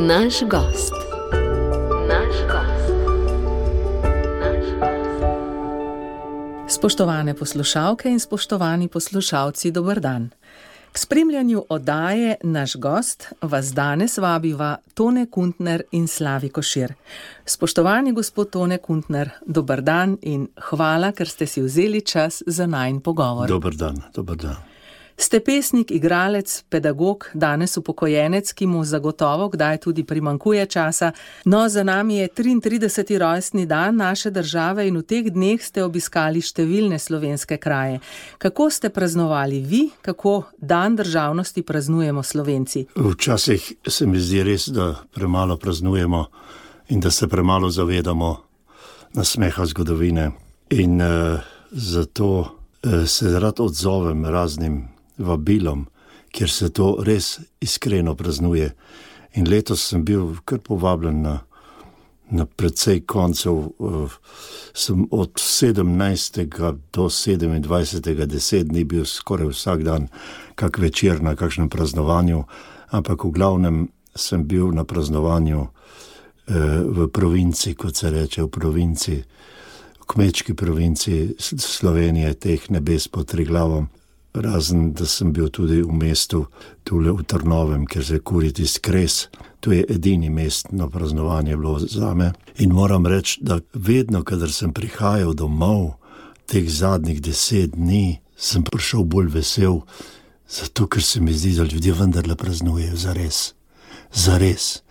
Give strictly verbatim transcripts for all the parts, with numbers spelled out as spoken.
Naš gost. Naš gost. Naš gost. Spoštovane poslušalke in spoštovani poslušalci, dober dan. K spremljanju oddaje Naš gost vas danes vabiva Tone Kuntner in Slavi Košir. Spoštovani gospod Tone Kuntner, dober dan in hvala, ker ste si vzeli čas za najin pogovor. Dober dan, dober dan. Ste pesnik, igralec, pedagog, danes upokojenec, ki mu zagotovo kdaj tudi primanjkuje časa. No, za nami je triintrideseti rojstni dan naše države in v teh dneh ste obiskali številne slovenske kraje. Kako ste praznovali vi, kako dan državnosti praznujemo Slovenci? Včasih se mi zdi res, da premalo praznujemo in da se premalo zavedamo nasmeha zgodovine. In uh, zato uh, se rad odzovem raznim vabilom, kjer se to res iskreno praznuje. In letos sem bil kar povabljen na, na precej koncev, uh, sem od sedemnajstega do sedemindvajsetega deset dni bil skoraj vsak dan kak večer na kakšnem praznovanju, ampak v glavnem sem bil na praznovanju uh, v provinci, kot se reče, v provinci, v kmečki provinci Slovenije, teh nebes pod Triglavom. Razen, da sem bil tudi v mestu tule v Trnovem, kjer se kuri tisti kres. To je edini mestno praznovanje bilo zame. In moram reči, da vedno, kadar sem prihajal domov, teh zadnjih deset dni, sem prišel bolj vesel, zato ker se mi zdi, da ljudje vendarle praznujejo zares. Zares.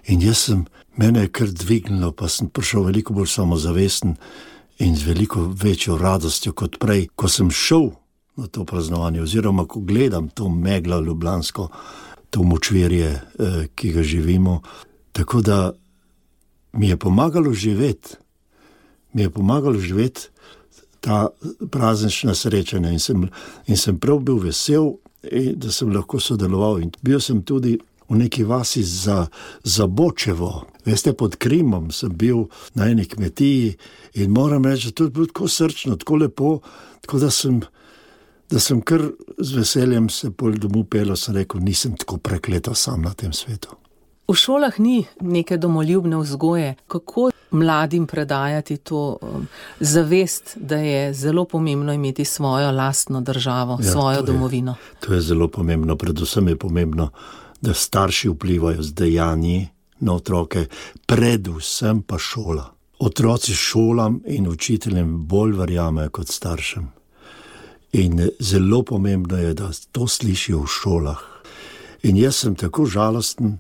In jaz sem, mene je kar dvignilo, pa sem prišel veliko bolj samozavesten in z veliko večjo radostjo kot prej, ko sem šel na to praznovanje, oziroma ko gledam to meglo ljubljansko, to močvirje, eh, ki ga živimo. Tako da mi je pomagalo živeti, mi je pomagalo živeti ta praznična srečanja in sem, in sem prav bil vesel, da sem lahko sodeloval. In bil sem tudi v neki vasi za, za Bočevo. Veste, pod Krimom sem bil na eni kmetiji in moram reči, da to je bilo tako srčno, tako lepo, tako da sem da sem kar z veseljem se pol domov pel, sem rekel, nisem tako prekleta sam na tem svetu. V šolah ni neke domoljubne vzgoje. Kako mladim predajati to um, zavest, da je zelo pomembno imeti svojo lastno državo, ja, svojo to domovino? Je, to je zelo pomembno. Predvsem je pomembno, da starši vplivajo z dejanji na otroke, predvsem pa šola. Otroci šolam in učiteljem bolj verjamejo kot staršem. In zelo pomembno je, da to slišijo v šolah. In jaz sem tako žalosten,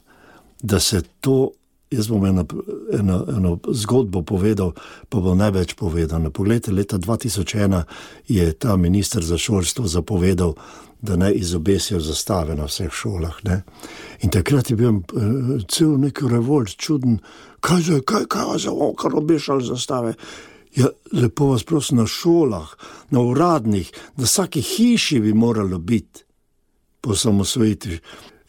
da se to, jaz bom eno, eno, eno zgodbo povedal, pa bo največ povedano. Poglejte, leta dva tisoč ena je ta minister za šolstvo zapovedal, da naj izobesijo zastave na vseh šolah. Ne? In takrat je bil uh, cel nek revolt, čuden, kaj za, kaj, kaj za, o, kar obešali zastave. Ja, lepo vas prosim, na šolah, na uradnih, na vsaki hiši bi moralo biti po osamosvojitvi.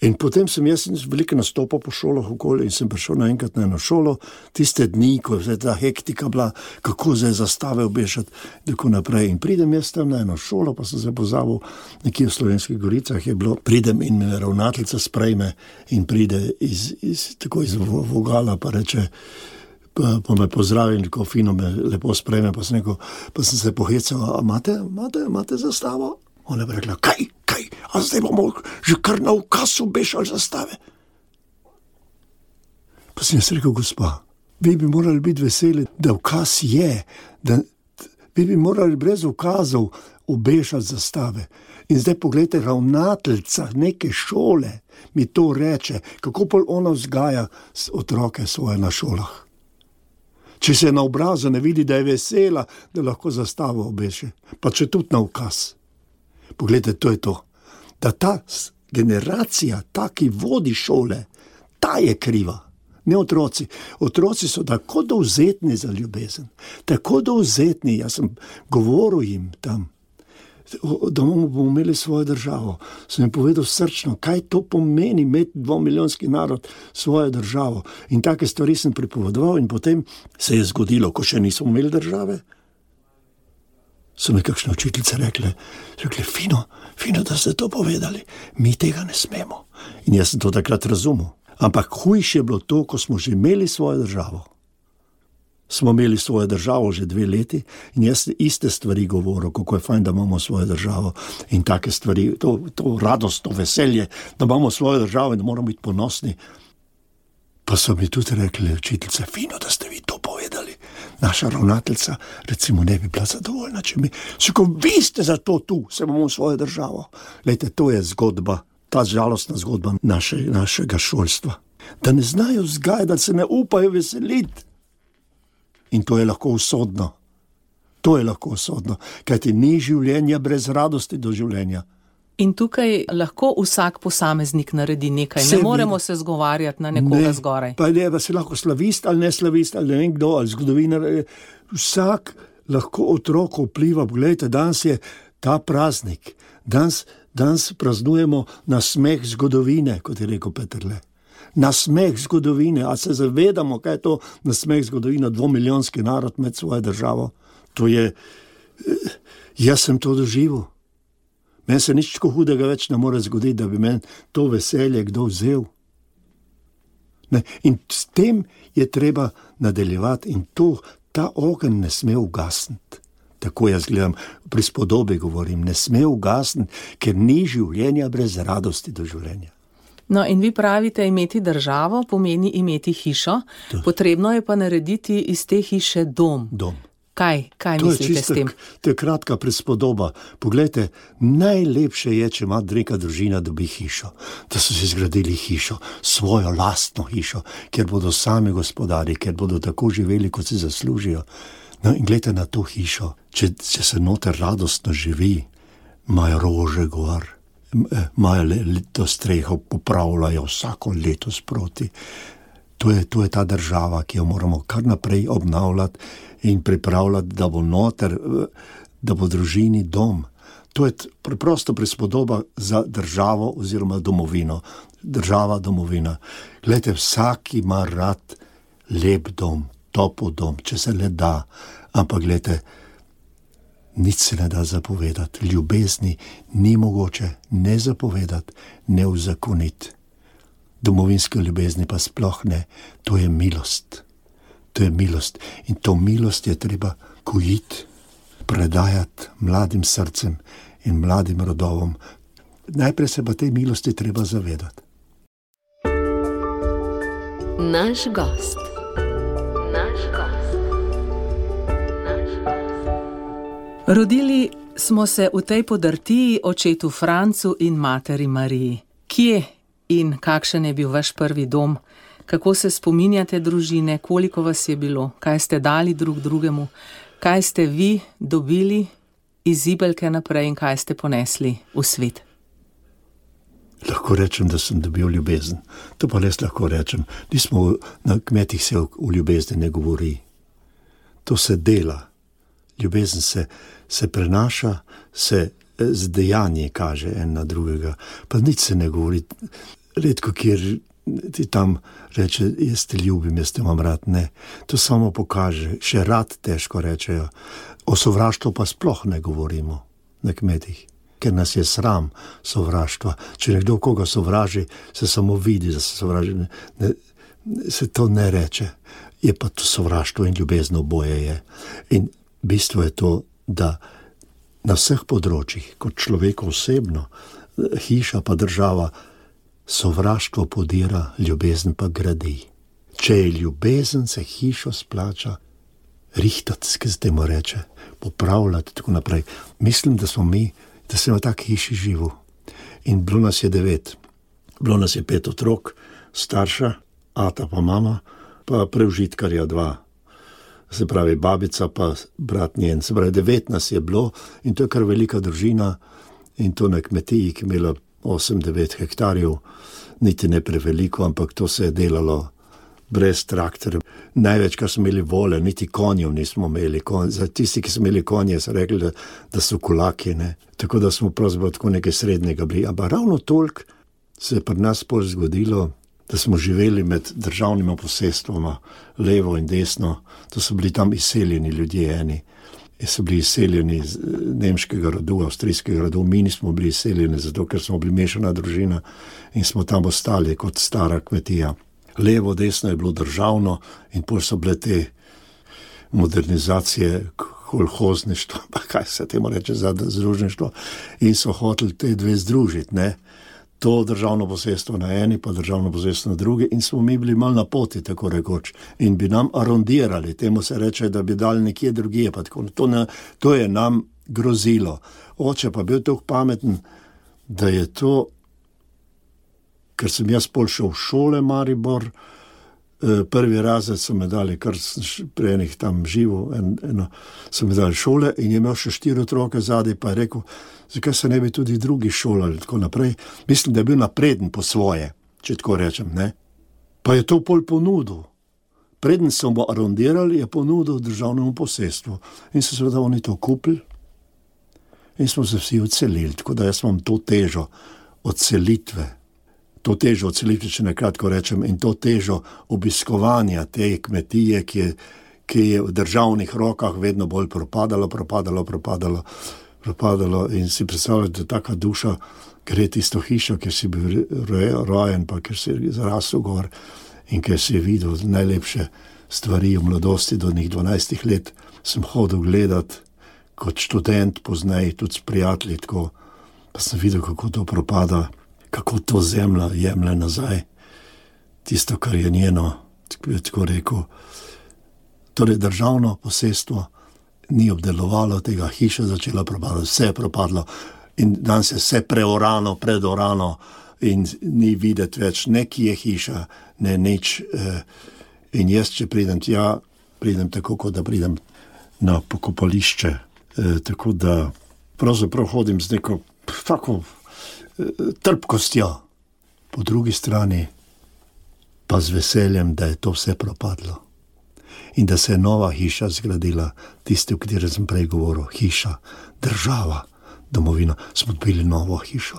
In potem sem jaz veliko nastopal po šolah okoli in sem prišel naenkrat na eno šolo, tiste dni, ko je ta hektika bila, kako zdaj zastave obešati, tako naprej. In pridem jaz tam na eno šolo, pa sem se pozabil, nekje v Slovenskih Goricah je bilo, pridem in me ravnateljica sprejme in pride iz, iz, tako iz vogala, pa reče, Pa, pa me pozdravi in tako fino me lepo sprejme, pa sem, neko, pa sem se pohecal, a imate, imate, imate zastavo? Ona je rekla, kaj, kaj, a zdaj bomo že kar na ukaz obešali zastave? Pa sem jaz rekel, gospa, vi bi morali biti veseli, da ukaz je, da vi bi morali brez ukazov obešati zastave. In zdaj pogledajte, ravnateljica neke šole mi to reče, kako pol ona vzgaja otroke svoje na šolah. Če se na obrazu ne vidi, da je vesela, da lahko zastavo obeše. Pa če tudi na ukaz. Poglejte, to je to. Da ta generacija, ta, ki vodi šole, ta je kriva. Ne otroci. Otroci so tako dovzetni za ljubezen. Tako dovzetni, jaz sem govoril jim tam, da bomo imeli svojo državo. Sem jim povedal srčno, kaj to pomeni imeti dvomilijonski narod svojo državo. In take stvari sem pripovedoval in potem se je zgodilo, ko še nismo imeli države. So mi kakšne učiteljice rekle, rekle, fino, fino, da ste to povedali. Mi tega ne smemo. In jaz sem to takrat razumel. Ampak hujše je bilo to, ko smo že imeli svojo državo. Smo imeli svojo državo že dve leti in jaz iste stvari govoril, kako je fajn, da imamo svojo državo in take stvari, to, to radost, to veselje, da imamo svojo državo in da moramo biti ponosni. Pa so mi tudi rekli, učiteljice, fino, da ste vi to povedali. Naša ravnateljica, recimo, ne bi bila zadovoljna, če mi, ko vi ste za to tu, se imamo svojo državo. Lejte, to je zgodba, ta žalostna zgodba naše, našega šolstva. Da ne znajo vzgajati, da se ne upajo veseliti. In to je lahko usodno. To je lahko usodno, kajti ni življenja brez radosti do življenja. In tukaj lahko vsak posameznik naredi nekaj. Ne moremo se zgovarjati na nekoga ne, zgoraj. Pa ne, pa si lahko slavist ali ne slavist, ali ne vem kdo, ali zgodovinar. Vsak lahko otroko vpliva. Poglejte, danes je ta praznik. Danes, danes praznujemo nasmeh zgodovine, kot je rekel Peterle. Nasmeh zgodovine. A se zavedamo, kaj je to nasmeh zgodovine, dvomilijonski narod med svojo državo? To je, jaz sem to doživel. Meni se nič tako hudega več ne more zgoditi, da bi meni to veselje kdo vzel. Ne? In s tem je treba nadaljevati in to, ta ogenj ne sme ugasniti. Tako jaz gledam, pri spodobi govorim, ne sme ugasniti, ker ni življenja brez radosti do življenja. No in vi pravite, imeti državo pomeni imeti hišo, to. Potrebno je pa narediti iz te hiše dom. Dom. Kaj, kaj mislite s tem? To je kratka prispodoba. Poglejte, najlepše je, če ima neka družina dobi hišo, da so si zgradili hišo, svojo lastno hišo, kjer bodo sami gospodari, kjer bodo tako živeli, kot si zaslužijo. No in gledajte na to hišo, če, če se noter radostno živi, imajo rože gor, imajo leto streho, popravljajo vsako leto sproti. To je, to je ta država, ki jo moramo kar naprej obnavljati in pripravljati, da bo noter, da bo družini dom. To je preprosto prispodoba za državo oziroma domovino. Država, domovina. Glejte, vsak ima rad lep dom, topel dom, če se le da. Ampak glejte, nič se ne da zapovedati. Ljubezni ni mogoče ne zapovedati, ne uzakoniti. Domovinske ljubezni pa sploh ne. To je milost. To je milost. In to milost je treba gojiti, predajati mladim srcem in mladim rodovom. Najprej se pa tej milosti treba zavedati. Naš gost. Naš gost. Naš gost. Rodili smo se v tej podrtiji očetu Francu in materi Mariji. Kje in kakšen je bil vaš prvi dom? Kako se spominjate družine, koliko vas je bilo, kaj ste dali drug drugemu, kaj ste vi dobili iz zibelke naprej in kaj ste ponesli v svet? Lahko rečem, da sem dobil ljubezen. To pa res lahko rečem. Nismo na kmetih se v ljubezni ne govori. To se dela. Ljubezen se, se prenaša, se z dejanji kaže en na drugega. Pa nič se ne govori. Redko, kjer ti tam reče, jaz te ljubim, jaz te imam rad. Ne, to samo pokaže. Še rad težko rečejo. O sovraštvu pa sploh ne govorimo na kmetih, ker nas je sram sovraštva. Če nekdo koga sovraži, se samo vidi, da se sovraži. Ne, ne, se to ne reče. Je pa to sovraštvo in ljubezen oboje je. In bistvo je to, da na vseh področjih, kot človek osebno, hiša pa država, sovraštvo podira, ljubezen pa gradi. Če je ljubezen, se hišo splača rihtati, kaj se temu reče, popravljati, tako naprej. Mislim, da smo mi, da sem v taki hiši živel. In bilo nas je devet. Bilo nas je pet otrok, starša, ata pa mama, pa preužitkarja dva. Se pravi, babica pa brat njen. Se pravi, devet nas je bilo in to je kar velika družina in to na kmetiji, ki je imela osem devet hektarjev, niti ne preveliko, ampak to se je delalo brez traktorja. Največ, kar smo imeli vole, niti konjev nismo imeli. Kon, za tisti, ki smo imeli konje, so rekli, da, da so kulaki, ne. Tako da smo pravzaprav tako nekaj srednjega bili. Ampak ravno toliko se je pri nas pol zgodilo, da smo živeli med državnima posestvoma, levo in desno. To so bili tam izseljeni ljudje eni. so bili izseljeni iz nemškega rodu, avstrijskega rodu, mi nismo bili izseljeni, zato ker smo bili mešana družina in smo tam ostali kot stara kmetija. Levo, desno je bilo državno in pol so bile te modernizacije, kolhozništvo, pa kaj se temu reče za združništvo, in so hoteli te dve združiti, ne. To državno posestvo na eni, pa državno posestvo na drugi in smo mi bili mal na poti, tako rekoč, in bi nam arondirali, temu se reče, da bi dali nekje drugje, pa tako, to, ne, to je nam grozilo. Oče pa bil tako pameten, da je to, ker sem jaz pol šel v šole Maribor, prvi razred so me dali, kar pri enih tam živo, en, eno, so me dali šole in je imel še štiri otroke zadaj, pa je rekel, zakaj se ne bi tudi drugi šolali, tako naprej. Mislim, da je bil napreden po svoje, če tako rečem, ne. Pa je to pol ponudil. Preden so mu arondirali, je ponudil državnemu posestvu. In so seveda oni to kupili in smo se vsi odselili, tako da jaz imam to težo odselitve. To težo odselitve, če nekratko rečem, in to težo obiskovanja te kmetije, ki je, ki je v državnih rokah vedno bolj propadalo, propadalo, propadalo, propadalo in si predstavljate, da taka duša gre tisto hišo, kjer si bil rojen, pa kjer si zrasel gor in kjer si videl najlepše stvari v mladosti do njih dvanajstih let, sem hodil gledat kot študent, poznej tudi s prijatelji, tako, pa sem videl, kako to propada, kako to zemlja jemlje nazaj, tisto, kar je njeno, tako rekel. Torej, državno posestvo ni obdelovalo tega, hiša začela propadati, vse je propadlo in danes je vse preorano, predorano in ni videti več, neki je hiša, ne nič. In jaz, če pridem tja, pridem tako, kot da pridem na pokopališče, tako da pravzaprav hodim z neko tako trpkostjo, po drugi strani pa z veseljem, da je to vse propadlo in da se je nova hiša zgradila, tiste, o kateri sem prej govoril, hiša, država, domovina, smo dobili novo hišo.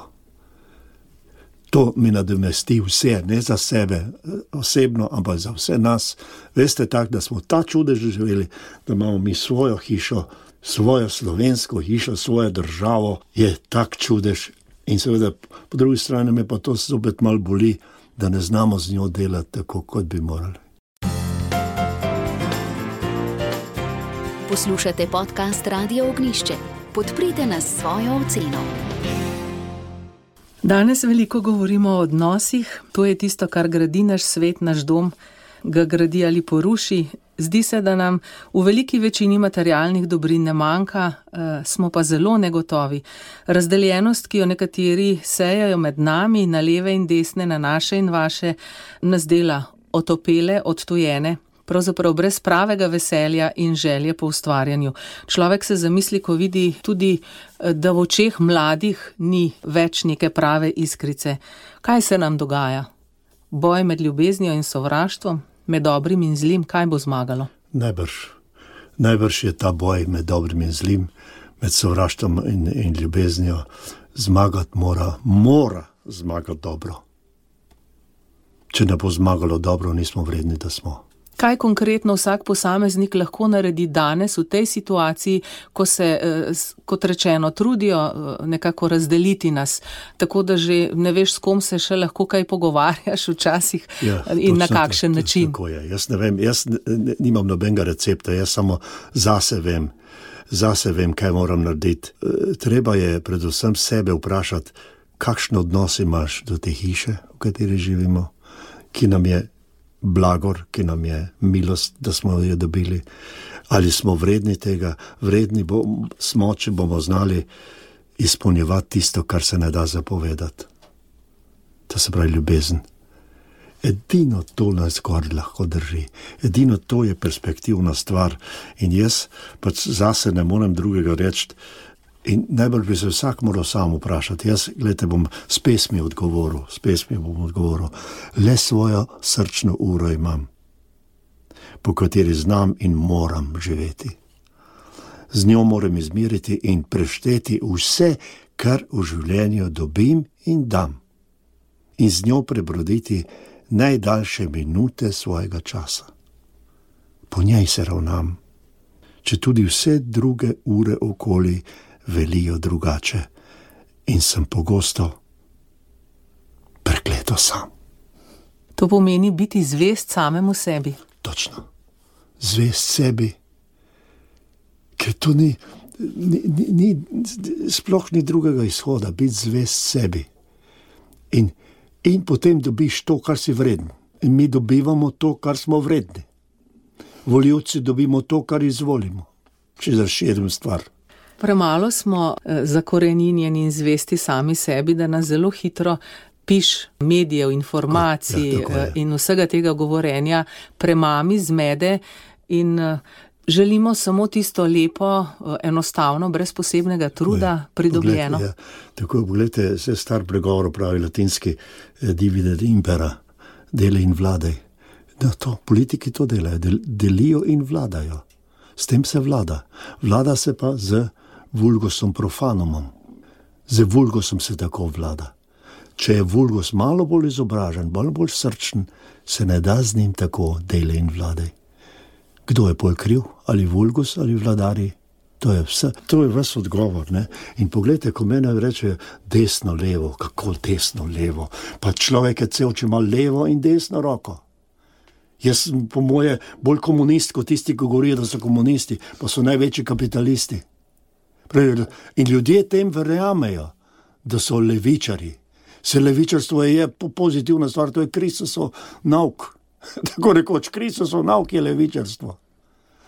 To mi nadomesti vse, ne za sebe osebno, ampak za vse nas. Veste tako, da smo ta čudež živeli, da imamo mi svojo hišo, svojo slovensko hišo, svojo državo, je tak čudež. In seveda, po drugi strani me pa to zopet malo boli, da ne znamo z njo delati tako, kot bi morali. Poslušate podcast Radia Ognjišče. Podprite nas s svojo oceno. Danes veliko govorimo o odnosih, to je tisto, kar gradi naš svet, naš dom, ga gradi ali poruši. Zdi se, da nam v veliki večini materialnih dobrin ne manjka, smo pa zelo negotovi. Razdeljenost, ki jo nekateri sejajo med nami, na leve in desne, na naše in vaše, nas dela otopele, odtujene, pravzaprav brez pravega veselja in želje po ustvarjanju. Človek se zamisli, ko vidi tudi, da v očeh mladih ni več neke prave iskrice. Kaj se nam dogaja? Boj med ljubeznijo in sovraštvom? Med dobrim in zlim, kaj bo zmagalo? Najbrž. Najbrž je ta boj med dobrim in zlim, med sovraštvom in, in ljubeznijo. Zmagati mora, mora zmagati dobro. Če ne bo zmagalo dobro, nismo vredni, da smo. Kaj konkretno vsak posameznik lahko naredi danes v tej situaciji, ko se, kot rečeno, trudijo nekako razdeliti nas, tako da že ne veš, s kom se še lahko kaj pogovarjaš včasih ja, in na kakšen tako, način? Tako je. Jaz ne vem, jaz nimam nobenega recepta, jaz samo zase vem, zase vem, kaj moram narediti. Treba je predvsem sebe vprašati, kakšen odnos imaš do te hiše, v kateri živimo, ki nam je blagor, ki nam je milost, da smo jo dobili. Ali smo vredni tega? Vredni bo, smo, če bomo znali izpolnjevati tisto, kar se ne da zapovedati. To se pravi ljubezen. Edino to nas gor lahko drži. Edino to je perspektivna stvar. In jaz pač zase ne morem drugega reči. In najbolj bi se vsak moral sam vprašati. Jaz, gledajte, bom s pesmi odgovoril, s pesmi bom odgovoril. Le svojo srčno uro imam, po kateri znam in moram živeti. Z njo moram izmiriti in prešteti vse, kar v življenju dobim in dam. In z njo prebroditi najdaljše minute svojega časa. Po njej se ravnam. če tudi vse druge ure okoli velijo drugače in sem pogosto prekleto sam. To pomeni biti zvest samemu sebi. Točno. Zvest sebi, ker to ni, ni, ni, ni sploh ni drugega izhoda, biti zvest sebi. In, in potem dobiš to, kar si vreden. In mi dobivamo to, kar smo vredni. Volivci dobimo to, kar izvolimo. Če razširim stvar. Premalo smo zakoreninjeni in zvesti sami sebi, da nas zelo hitro piš medijev, informacij ja, in vsega tega govorenja premami, zmede in želimo samo tisto lepo, enostavno, brez posebnega truda je, pridobljeno. Poglejte, ja. Tako, pogledajte, se star pregovor pravi latinski divide et impera, deli in vladaj. Da to, politiki to delajo, del, delijo in vladajo. S tem se vlada. Vlada se pa z vulgusom profanumom. Z vulgusom se tako vlada. Če je vulgus malo bolj izobražen, malo bolj srčen, se ne da z njim tako dele in vladaj. Kdo je bolj kriv? Ali vulgus ali vladari? To je vse. To je ves odgovor, ne? In pogledajte, ko mene rečejo desno, levo, kako desno, levo. Pa človek je cel, če ima levo in desno roko. Jaz sem po moje bolj komunist, kot tisti, ki govorijo, da so komunisti, pa so največji kapitalisti. In ljudje tem verjamejo, da so levičari. Se levičarstvo je pozitivna stvar, to je Kristusov nauk. Tako rekoč, Kristusov nauk je levičarstvo.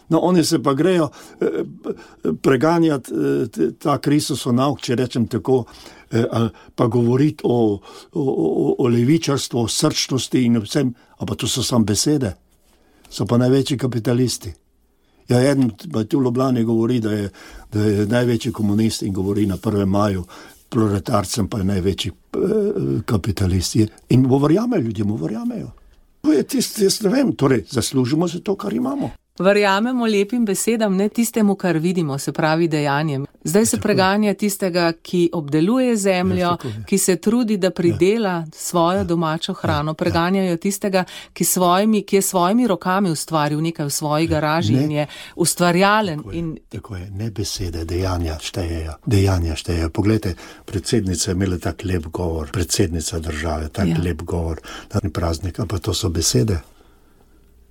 No, oni se pa grejo eh, preganjati eh, ta Kristusov nauk, če rečem tako, eh, pa govoriti o, o, o, o levičarstvu, o srčnosti in vsem, a pa to so samo besede. So pa največji kapitalisti. Ja, eden tu v Ljubljani govori, da je, da je največji komunist in govori na prvem maju, proletarcem pa je največji eh, kapitalist. In mu verjamejo, ljudje mu verjamejo. To je tisto, jaz ne vem, torej zaslužimo se to, kar imamo. Verjamemo lepim besedam, ne tistemu, kar vidimo, se pravi dejanjem. Zdaj se preganja tistega, ki obdeluje zemljo, ki se trudi, da pridela svojo domačo hrano. Preganjajo tistega, ki, svojimi, ki je svojimi rokami ustvaril nekaj v svoji garaži in je ustvarjalen. Tako je, in... tako je. Ne besede, dejanja štejejo. Dejanja štejejo. Poglejte, predsednica je imela tak lep govor, predsednica države, tak ja. lep govor, dan praznik, pa to so besede.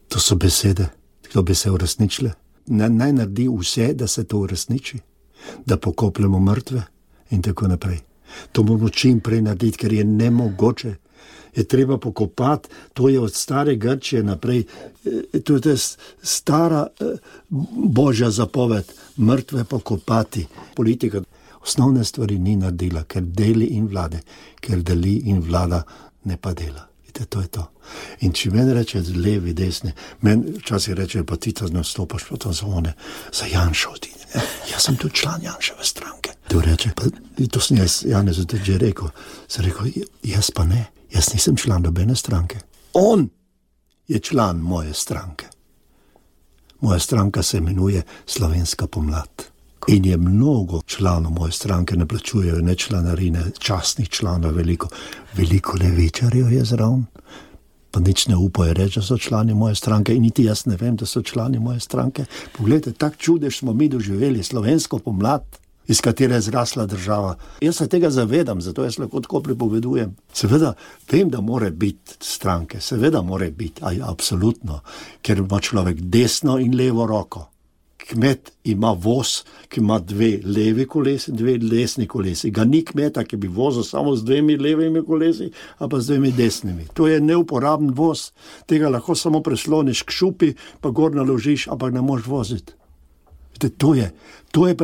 To so besede. To bi se uresničile. Naj naredi vse, da se to uresniči. Da pokopljemo mrtve in tako naprej. To moramo čim prej narediti, ker je nemogoče. Je treba pokopati, to je od stare Grčije naprej. To je stara božja zapoved, mrtve pokopati. Politika osnovne stvari ni naredila, ker deli in vlade, ker deli in vlada ne pa dela. To je to. In če meni reče levi, desni, meni včasih reče, pa ti to nastopaš po to zone, za Janšo odini. Jaz sem tudi član Janševe stranke. To reče, pa to sem jaz, Janezu tudi že rekel, sem rekel, jaz pa ne, jaz nisem član nobene stranke. On je član moje stranke. Moja stranka se imenuje Slovenska pomlad. In je mnogo članov moje stranke, ne plačujejo ne članarine, častnih članov veliko. Veliko levičarjev je zraven, pa nič ne upajo reči, da so člani moje stranke in niti jaz ne vem, da so člani moje stranke. Poglejte, tak čudež smo mi doživeli, slovensko pomlad, iz katere je zrasla država. Jaz se tega zavedam, zato jaz lahko tako pripovedujem. Seveda, vem, da more biti stranke, seveda more biti, aj, absolutno, ker ima človek desno in levo roko. Kmet ima voz, ki ima dve levi kolesi in dve desni kolesi. Ga ni kmeta, ki bi vozil samo z dvemi levimi kolesi, a pa z dvemi desnimi. To je neuporaben voz. Tega lahko samo presloniš k šupi, pa gor naložiš, ampak ne moš voziti. To je, to je,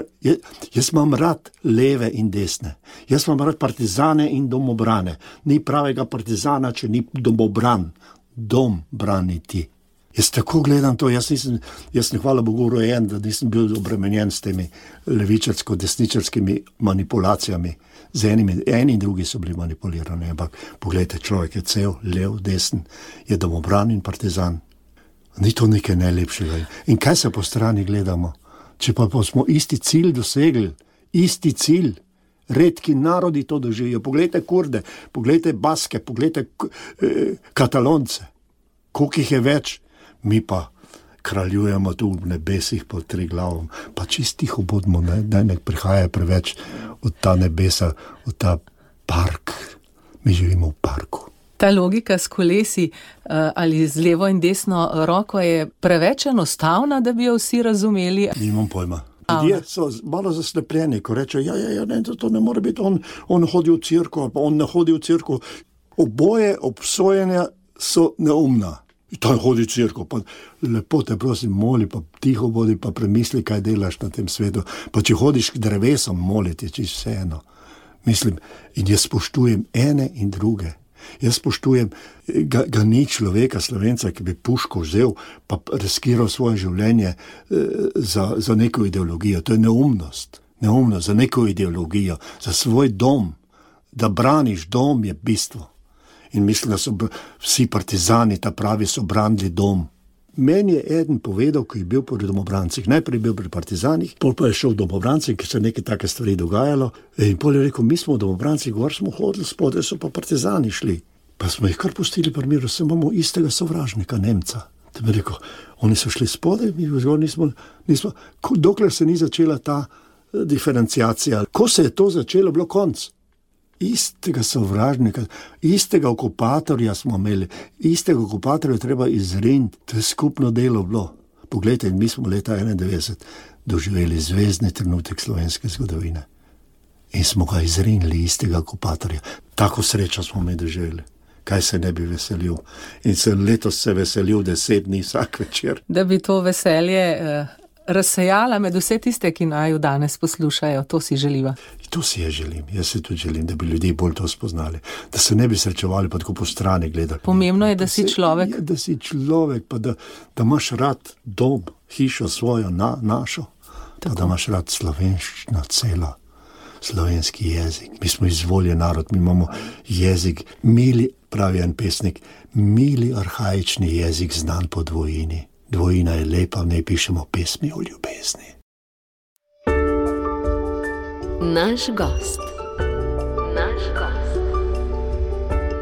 jaz imam rad leve in desne. Jaz imam rad partizane in domobrane. Ni pravega partizana, če ni domobran. Dom brani ti. Jaz tako gledam to, jaz nisem, jaz sem hvala Bogu rojen, da nisem bil obremenjen s temi levičarsko-desničarskimi manipulacijami. Z enimi, eni in drugi so bili manipulirani, ampak pogledajte, človek je cel, lev, desen, je domobran in partizan. Ni to nekaj najlepšega. In kaj se po strani gledamo? Če pa, pa smo isti cilj dosegli, isti cilj, redki narodi to doživijo. Poglejte Kurde, poglejte Baske, poglejte eh, Katalonce. Koliko jih je več? Mi pa kraljujemo tu v nebesih pod Triglavom, pa čist tiho bodimo, ne, da ne prihaja preveč od ta nebesa, od ta park. Mi živimo v parku. Ta logika s kolesi ali z levo in desno roko je preveč enostavna, da bi jo vsi razumeli. Nimam pojma. Ljudje so malo zaslepljeni, ko reče, ja, ja, ja, ne, to ne more biti, on, on hodi v cirko, pa on ne hodi v cirko. Oboje obsojenja so neumna. To hodi v cirko, pa lepo te prosim, moli, pa tiho bodi, pa premisli, kaj delaš na tem svetu. Pa če hodiš k drevesom moliti, čisto vseeno. Mislim, in jaz spoštujem ene in druge. Jaz spoštujem, ga, ga ni človeka, Slovenca, ki bi puško vzel, pa riskiral svoje življenje eh, za, za neko ideologijo. To je neumnost. Neumnost za neko ideologijo, za svoj dom. Da braniš dom je bistvo. In mislim, da so vsi partizani, ta pravi, so branili dom. Meni je eden povedal, ko je bil pri domobrancih. Najprej je bil pri partizanih, pol pa je šel v domobrancih, ker se neke take stvari dogajalo. In pol je rekel, mi smo v domobrancih, gor smo hodili, spodaj so pa partizani šli. Pa smo jih kar pustili pri miru, se imamo istega sovražnika, Nemca. Te bi rekel, oni so šli spodaj, mi zgor nismo, nismo, dokler se ni začela ta diferenciacija. Ko se je to začelo, bilo konc. Istega sovražnika, istega okupatorja smo imeli, istega okupatorja treba izriniti. To je skupno delo bilo. Poglejte, mi smo leta enaindevetdeset doživeli zvezdni trenutek slovenske zgodovine. In smo ga izrinili, istega okupatorja. Tako srečo smo mi doživeli. Kaj se ne bi veselil. In se letos se veselil deset dni vsak večer. Da bi to veselje eh, razsejala med vse tiste, ki naju danes poslušajo, to si želiva. To si jaz želim, jaz si tudi želim, da bi ljudi bolj to spoznali, da se ne bi srečevali pa tako po strani gledali. Pomembno je, da, da si se, človek. Je, da si človek, pa da, da imaš rad dom, hišo svojo, na, našo, tako. Pa da imaš rad slovenščino celo, slovenski jezik. Mi smo izvoljen narod, mi imamo jezik, mili, pravi en pesnik, mili arhaični jezik znan po dvojini. Dvojina je lepa, v njej pišemo pesmi o ljubezni. Naš gost. Naš gost.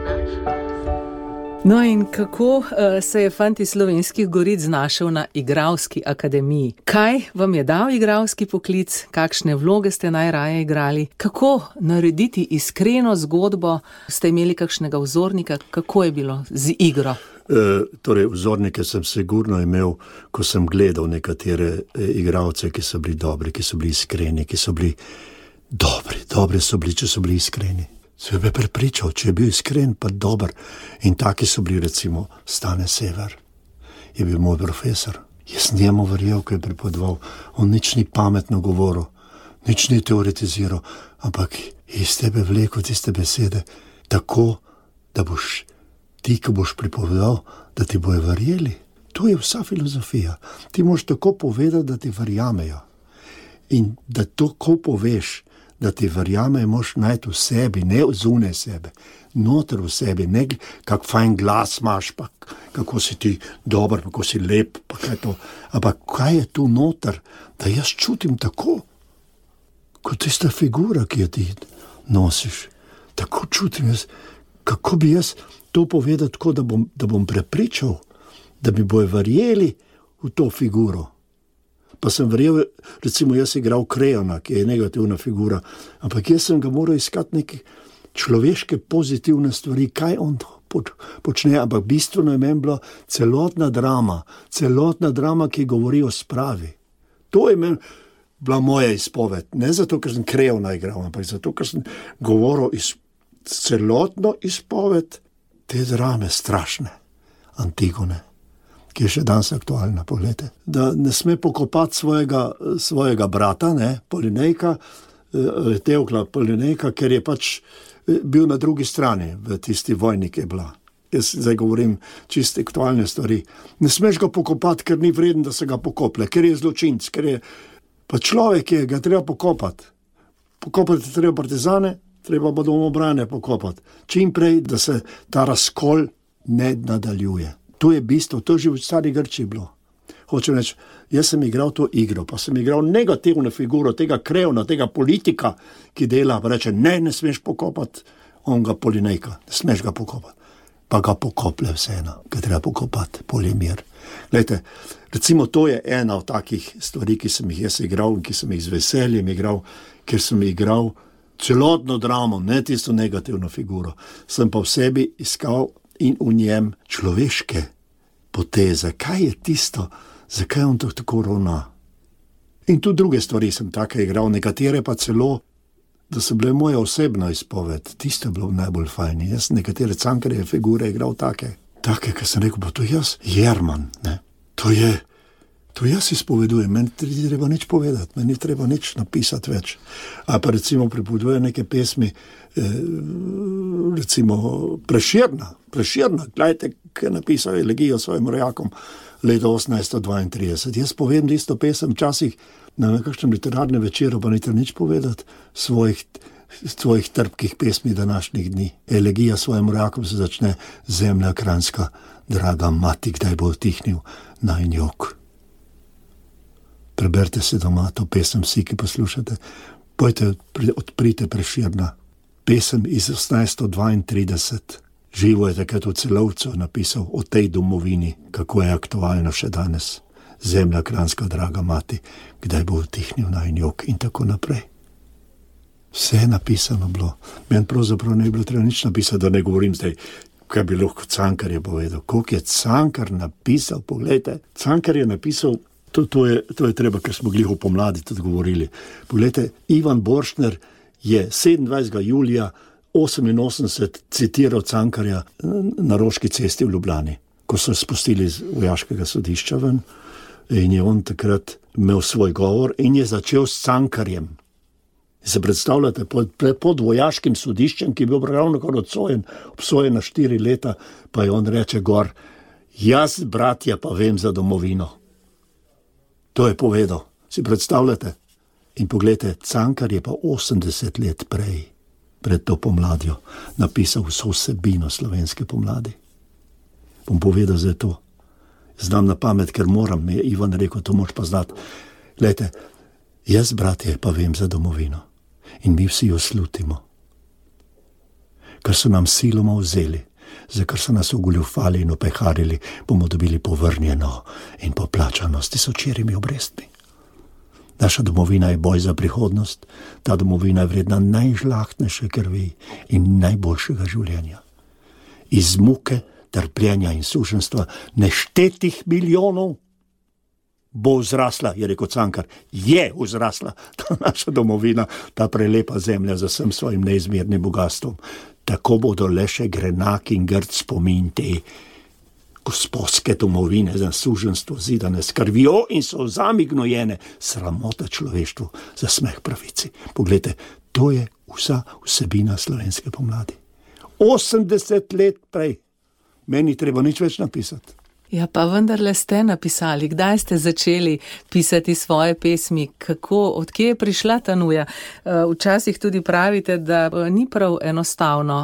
Naš gost. No in kako uh, se je fant iz Slovenskih Goric znašel na igralski akademiji? Kaj vam je dal igralski poklic? Kakšne vloge ste najraje igrali? Kako narediti iskreno zgodbo? Ste imeli kakšnega vzornika? Kako je bilo z igro? E, torej, vzornike sem sigurno imel, ko sem gledal nekatere igralce, ki so bili dobri, ki so bili iskreni, ki so bili dobri, dobri so bili, če so bili iskreni. Se bi prepričal, če je bil iskren, pa dober. In taki so bili, recimo, Stane Sever. Je bil moj profesor. Jaz njemu verjel, ko je pripovedoval. On nič ni pametno govoril, nič ni teoretiziral, ampak iz tebe vlekel tiste besede tako, da boš ti, ko boš pripovedal, da ti bojo verjeli. To je vsa filozofija. Ti moraš tako povedati, da ti verjamejo. In da to, ko poveš, da ti verjamejo, moraš najti v sebi, ne zunaj sebe, noter v sebi, ne kak fajn glas imaš, pa kako si ti dober, kako si lep, pa kaj to. Ampak kaj je tu noter, da jaz čutim tako, kot tista figura, ki jo ti nosiš. Tako čutim jaz, kako bi jaz to povedal tako, da bom, da bom prepričal, da bi bojo verjeli v to figuro. Pa sem verjel, recimo jaz igral Krejona, ki je negativna figura, ampak jaz sem ga moral iskati neke človeške pozitivne stvari, kaj on počne, ampak bistveno je meni bila celotna drama, celotna drama, ki govori o spravi. To je meni bila moja izpoved, ne zato, ker sem Krejona igral, ampak zato, ker sem govoril iz, celotno izpoved te drame strašne, Antigone, ki je še danes aktualna, pogledajte. Da ne sme pokopati svojega, svojega brata, ne, Polinejka, Teokla Polinejka, ker je pač bil na drugi strani v tisti vojni, ki je bila. Jaz zdaj govorim čiste aktualne stvari. Ne smeš ga pokopati, ker ni vreden, da se ga pokople, ker je zločinc, ker je pa človek, je ga treba pokopati. Pokopati treba partizane, treba pa domobrane pokopati. Čim prej, da se ta razkol ne nadaljuje. To je bistvo, to je že v stari Grčiji bilo. Hočem reči, jaz sem igral to igro, pa sem igral negativno figuro tega Krejona, tega politika, ki dela, pa reče, ne, ne smeš pokopati onga Polinejka, ne smeš ga pokopati. pa ga pokoplje vseeno, ga treba pokopati, polimir. Glejte, recimo to je ena od takih stvari, ki sem jih jaz igral in ki sem jih z veseljem igral, ker sem igral celotno dramo, ne tisto negativno figuro. Sem pa v sebi iskal in v njem človeške poteze. Kaj je tisto, zakaj on to tako ravna? In tudi druge stvari sem take igral, nekatere pa celo, da so bile moja osebna izpoved. Tisto je bilo najbolj fajn. Jaz sem nekatere Cankarjeve figure igral take. Take, ki sem rekel, pa to jaz, Jerman, ne. To je, to jaz izpovedujem, meni ni treba nič povedati, meni ni treba nič napisati več. A pa recimo pripoveduje neke pesmi, eh, recimo Prešerna, Prešerna, gledajte, ki je napisal elegijo svojim rojakom leta osemnajststo dvaintrideset. Jaz povem isto pesem včasih na nekakšnem literarnem večeru, pa ni treba nič povedati svojih svojih trpkih pesmi današnjih dni. Elegija svojim rojakom se začne: zemlja kranjska, draga mati, kdaj bo utihnil najin jok. Preberite se doma to pesem, vsi, ki poslušate. Pojte, odprite Prešerna. Pesem iz osemnajststo dvaintrideset. Živo je takrat v Celovcu napisal o tej domovini, kako je aktualno še danes. Zemlja kranjska, draga mati, kdaj bo utihnil najin jok, in tako naprej. Vse je napisano bilo. Meni pravzaprav ne bi bilo treba nič napisati, da ne govorim zdaj, kaj bi lahko Cankar je povedal. Koliko je Cankar napisal, poglejte. Cankar je napisal, to, to, je, to je treba, ker smo glih v pomladi tudi govorili. Poglejte, Ivan Borštner je sedemindvajsetega julija oseminosemdeset citiral Cankarja na Roški cesti v Ljubljani, ko so spustili iz vojaškega sodišča ven, in je on takrat imel svoj govor in je začel s Cankarjem. Se predstavljate, pod, pod vojaškim sodiščem, ki je bil ravno kar obsojen, obsojen na štiri leta, pa je on reče gor: jaz, bratja, pa vem za domovino. To je povedal. Si predstavljate? In pogledajte, Cankar je pa osemdeset let prej, pred to pomladjo, napisal vso vsebino slovenske pomladi. Bom povedal zdaj to. Znam na pamet, ker moram, mi je Ivan rekel, to moš pa znati. Glejte, jaz, bratje, pa vem za domovino. In mi vsi jo slutimo. Kar so nam siloma vzeli, za kar so nas ogoljufali in opeharili, bomo dobili povrnjeno in poplačano s tisočerimi obrestmi. Naša domovina je boj za prihodnost, ta domovina je vredna najžlahtnejše krvi in najboljšega življenja. Iz muke, trpljenja in suženstva neštetih milijonov bo vzrasla, je rekel Cankar, je vzrasla ta naša domovina, ta prelepa zemlja za vsem svojim neizmernim bogatstvom. Tako bodo le še grenak in grd spomin te gospodske domovine za suženstvo zidane s krvjo in solzami gnojene, sramota človeštvu, za smeh pravici. Poglejte, to je vsa vsebina slovenske pomladi. osemdeset let prej. Meni treba nič več napisati. Ja, pa vendarle ste napisali. Kdaj ste začeli pisati svoje pesmi? Kako, odkje je prišla ta nuja? Včasih tudi pravite, da ni prav enostavno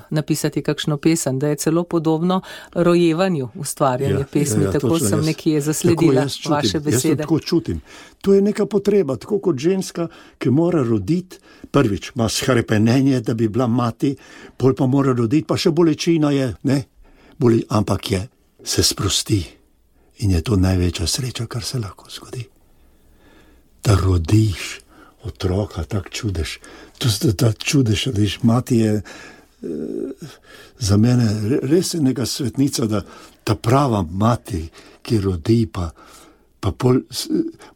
napisati kakšno pesem, da je celo podobno rojevanju ustvarjanje ja, pesmi. Ja, ja, tako sem jaz, nekje zasledila čutim, vaše besede. Jaz tako čutim. To je neka potreba, tako kot ženska, ki mora roditi, prvič ima shrepenenje, da bi bila mati, pol pa mora roditi, pa še bolečina je, ne? Boli, ampak je. Se sprosti in je to največja sreča, kar se lahko zgodi. Da rodiš otroka, tak čudež. To je ta čudež, da iš mati je e, za mene res je neka svetnica, da ta prava mati, ki rodi pa, pa pol,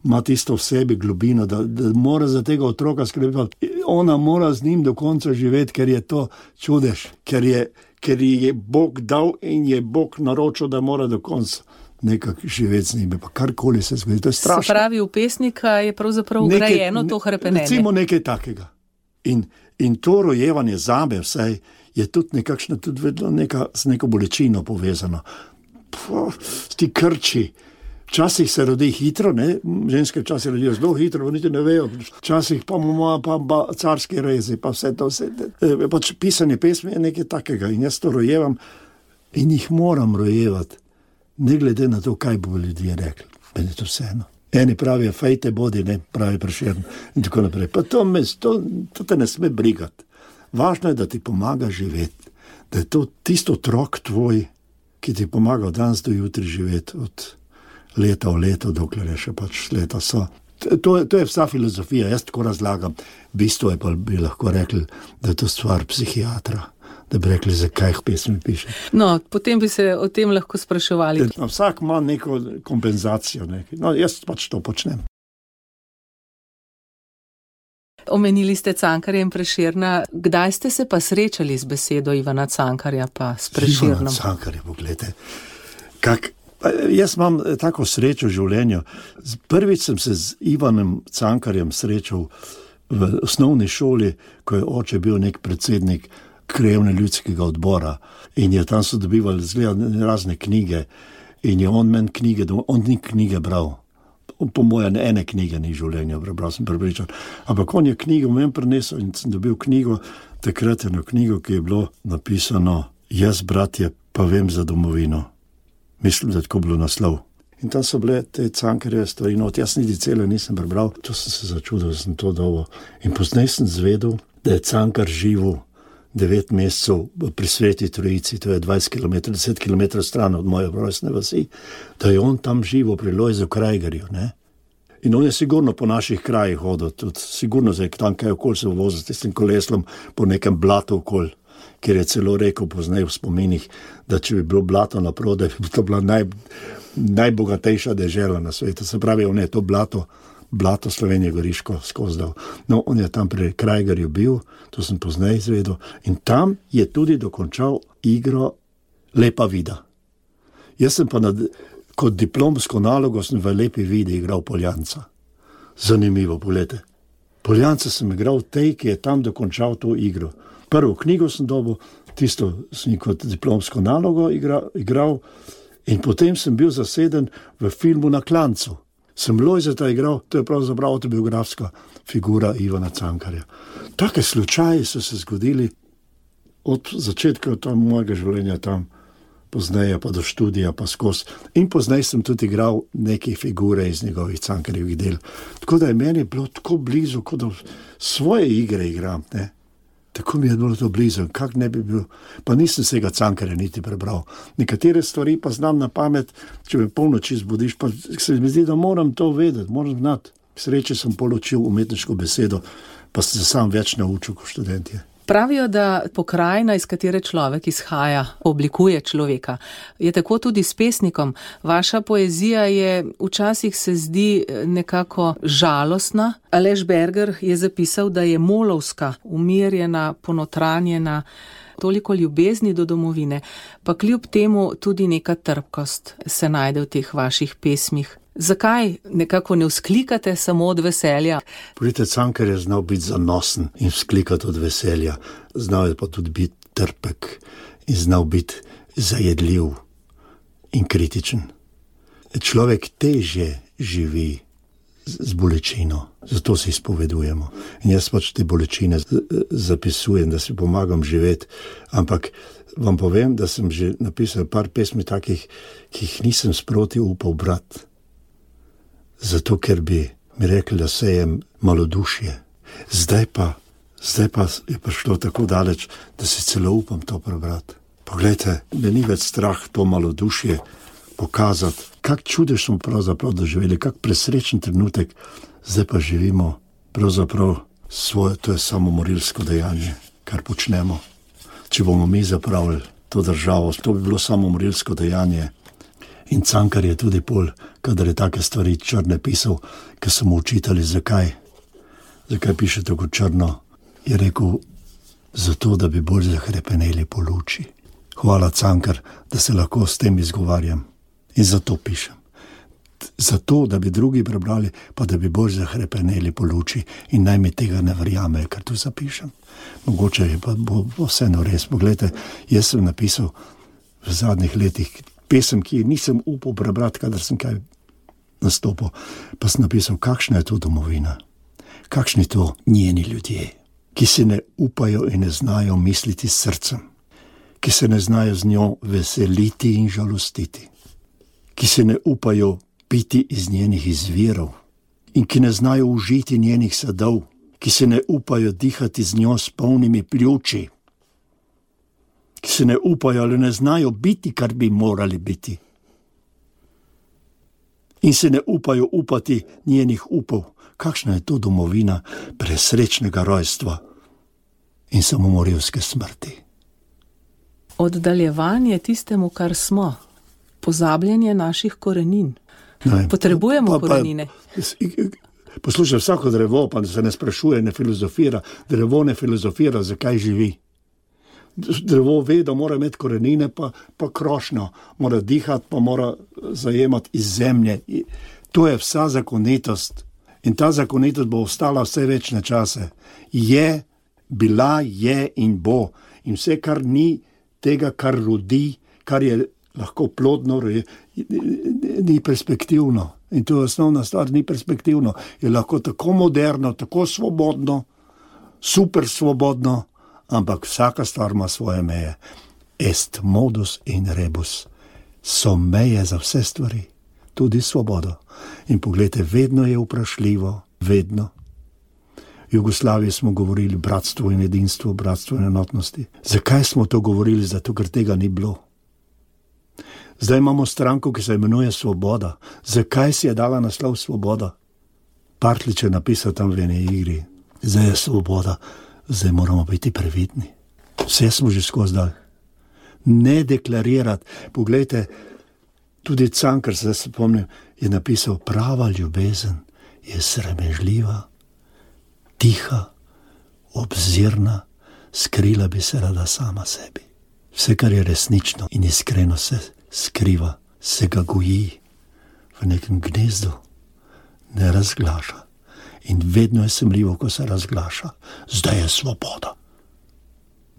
ima tisto v sebi globino, da, da mora za tega otroka skrbeti. Ona mora z njim do konca živeti, ker je to čudež, ker je ker je Bog dal in je Bog naročil, da mora do konca nekako živeti z njimi, pa karkoli se zgodi, to je strašno. Se pravi, v pesnika je pravzaprav ugrajeno to hrepenenje. Recimo nekaj takega. In, in to rojevanje zame vsaj je tudi nekakšno, tudi vedno neka, z neko bolečino povezano. Puh, ti krči. Včasih se rodi hitro, ne? Ženske včasih rodijo zelo hitro, niti ne vejo. Včasih pa ima pa, pa carski rezi, pa vse to. Vse. E, pač pisanje pesmi je nekaj takega in jaz to rojevam in jih moram rojevati. Ne glede na to, kaj bo ljudje rekli. Meni je to vseeno. Eni pravijo, fejte bodi, ne, pravi Prešeren in tako naprej. Pa to, me, to, to te ne sme brigati. Važno je, da ti pomaga živeti. da je to tisto otrok tvoj, ki ti pomaga od danes do jutri živeti, od leta v leto, dokler je še pač leta so. To je, to je vsa filozofija, jaz tako razlagam. Bistvo je pa bi lahko rekli, da je to stvar psihiatra, da bi rekli, zakaj jih pesmi piše. No, potem bi se o tem lahko spraševali. No, vsak ima neko kompenzacijo, nekaj. No, jaz pač to počnem. Omenili ste Cankarja in Prešerna. Kdaj ste se pa srečali z besedo Ivana Cankarja pa s Prešernom? Ivana Cankarja, pogledajte. Kak, jaz imam tako srečo v življenju. Prvič sem se z Ivanom Cankarjem srečal v osnovni šoli, ko je oče bil nek predsednik krajevne ljudskega odbora in je tam so dobivali razne knjige in je on meni knjige, on ni knjige bral. Po moje ene knjige ni življenja prebral, sem prepričan. Ampak on je knjigo meni prinesel in sem dobil knjigo, takrat eno knjigo, ki je bilo napisano Jaz, bratje, pa vem za domovino. Mislim, da je tako bilo naslov. In tam so bile te Cankarjeve stvari, no, jaz niti cele nisem prebral, to sem se začudil, da sem to dobil. In poznaj sem zvedel, da je Cankar živel devet mesecev pri Sveti Trojici, to je dvajset kilometrov, deset kilometrov stran od moje rojstne vasi, da je on tam živel pri Lojzu Krajgerju, ne? In on je sigurno po naših krajih hodil, tudi sigurno zdaj tam kaj okoli se vozil s tistim koleslom po nekem blatu okoli, kjer je celo rekel poznaj v spominih, da če bi bilo blato naprodaj, bi to bila naj, najbogatejša dežela na svetu. Se pravi, on je to blato, blato Slovenije Goriško skozdal. No, on je tam pri Krajgerju bil, to sem poznaj izvedel, in tam je tudi dokončal igro Lepa vida. Jaz sem pa nad, kot diplomsko nalogo sem v Lepi vidi igral Poljanca. Zanimivo, pogledajte. Poljanca sem igral tej, ki je tam dokončal to igro. Prvo knjigo sem dobil, tisto sem kot diplomsko nalogo igral, igral in potem sem bil zaseden v filmu Na klancu. Sem Lojzeta igral, to je pravzaprav autobiografska figura Ivana Cankarja. Take slučaji so se zgodili od začetka tam mojega življenja tam, pozneje pa do študija pa skozi. In pozneje sem tudi igral neke figure iz njegovih Cankarjevih del. Tako da je meni bilo tako blizu, kot da svoje igre igram, ne. Tako mi je bilo to blizu, kak ne bi bil, pa nisem vsega Cankarja niti prebral. Nekatere stvari pa znam na pamet, če me polnoči zbudiš, pa se mi zdi, da moram to vedeti, moram znati. Sreče sem poločil umetniško besedo, pa sem se sam več naučil kot študentje. Pravijo, da pokrajina, iz katere človek izhaja, oblikuje človeka. Je tako tudi s pesnikom. Vaša poezija je včasih se zdi nekako žalostna. Aleš Berger je zapisal, da je molovska, umirjena, ponotranjena, toliko ljubezni do domovine, pa kljub temu tudi neka trpkost se najde v teh vaših pesmih. Zakaj nekako ne vzklikate samo od veselja? Poglejte, Cankar je znal biti zanosen in vzklikati od veselja. Znal je pa tudi biti trpek in znal biti zajedljiv in kritičen. Človek težje živi z bolečino, zato si izpovedujemo. In jaz pač te bolečine zapisujem, da si pomagam živeti, ampak vam povem, da sem že napisal par pesmi takih, ki jih nisem sproti upal brati. Zato, ker bi mi rekli, da sejem malodušje. Zdaj pa, zdaj pa je prišlo tako daleč, da si celo upam to prebrati. Poglejte, me ni več strah to malodušje pokazati, kak čudež smo pravzaprav doživeli, kak presrečen trenutek, zdaj pa živimo pravzaprav svoje, to je samomorilsko dejanje, kar počnemo. Če bomo mi zapravili to državo, to bi bilo samomorilsko dejanje. In Cankar je tudi pol, kadar je take stvari črne pisal, ker so mu učitali, zakaj, zakaj piše tako črno, je rekel, zato, da bi bolj zahrepeneli po luči. Hvala, Cankar, da se lahko s tem izgovarjam. In zato pišem. Zato, da bi drugi prebrali, pa da bi bolj zahrepeneli po luči in naj mi tega ne verjamejo, kar tu zapišem. Mogoče je pa bo, bo vseeno res. Poglejte, jaz sem napisal v zadnjih letih pesem, ki nisem upal prebrati, kadar sem kaj nastopil, pa sem napisal, kakšna je to domovina, kakšni to njeni ljudje, ki se ne upajo in ne znajo misliti s srcem, ki se ne znajo z njo veseliti in žalostiti, ki se ne upajo piti iz njenih izvirov in ki ne znajo užiti njenih sadov, ki se ne upajo dihati z njo s polnimi pljuči, ki se ne upajo ali ne znajo biti, kar bi morali biti. In se ne upajo upati njenih upov. Kakšna je to domovina presrečnega rojstva in samomorilske smrti? Oddaljevanje tistemu, kar smo, pozabljanje naših korenin. Ne, Potrebujemo pa, pa, korenine. Poslušaj, vsako drevo pa se ne sprašuje, ne filozofira. Drevo ne filozofira, zakaj živi. Drevo ve, da mora imeti korenine, pa, pa krošnjo. Mora dihati, pa mora zajemati iz zemlje. To je vsa zakonitost. In ta zakonitost bo ostala vse večne čase. Je, bila, je in bo. In vse, kar ni tega, kar rodi, kar je lahko plodno, je, ni perspektivno. In to je osnovna stvar, ni perspektivno. Je lahko tako moderno, tako svobodno, super svobodno, ampak vsaka stvar ima svoje meje. Est modus in rebus. So meje za vse stvari, tudi svobodo. In pogledajte, vedno je vprašljivo, vedno. V Jugoslaviji smo govorili bratstvo in edinstvo, bratstvo in enotnosti. Zakaj smo to govorili? Zato, ker tega ni bilo. Zdaj imamo stranko, ki se imenuje Svoboda. Zakaj si je dala naslov Svoboda? Partljič je napisal tam v eni igri. Zdaj je svoboda, zdaj moramo biti previdni. Vse smo že skozi dal. Ne deklarirati. Poglejte, tudi Cankar, se spomnim, je napisal, prava ljubezen je sramežljiva, tiha, obzirna, skrila bi se rada sama sebi. Vse, kar je resnično in iskreno se skriva, se ga goji v nekem gnezdu, ne razglaša. In vedno je semljivo, ko se razglaša. Zdaj je svoboda.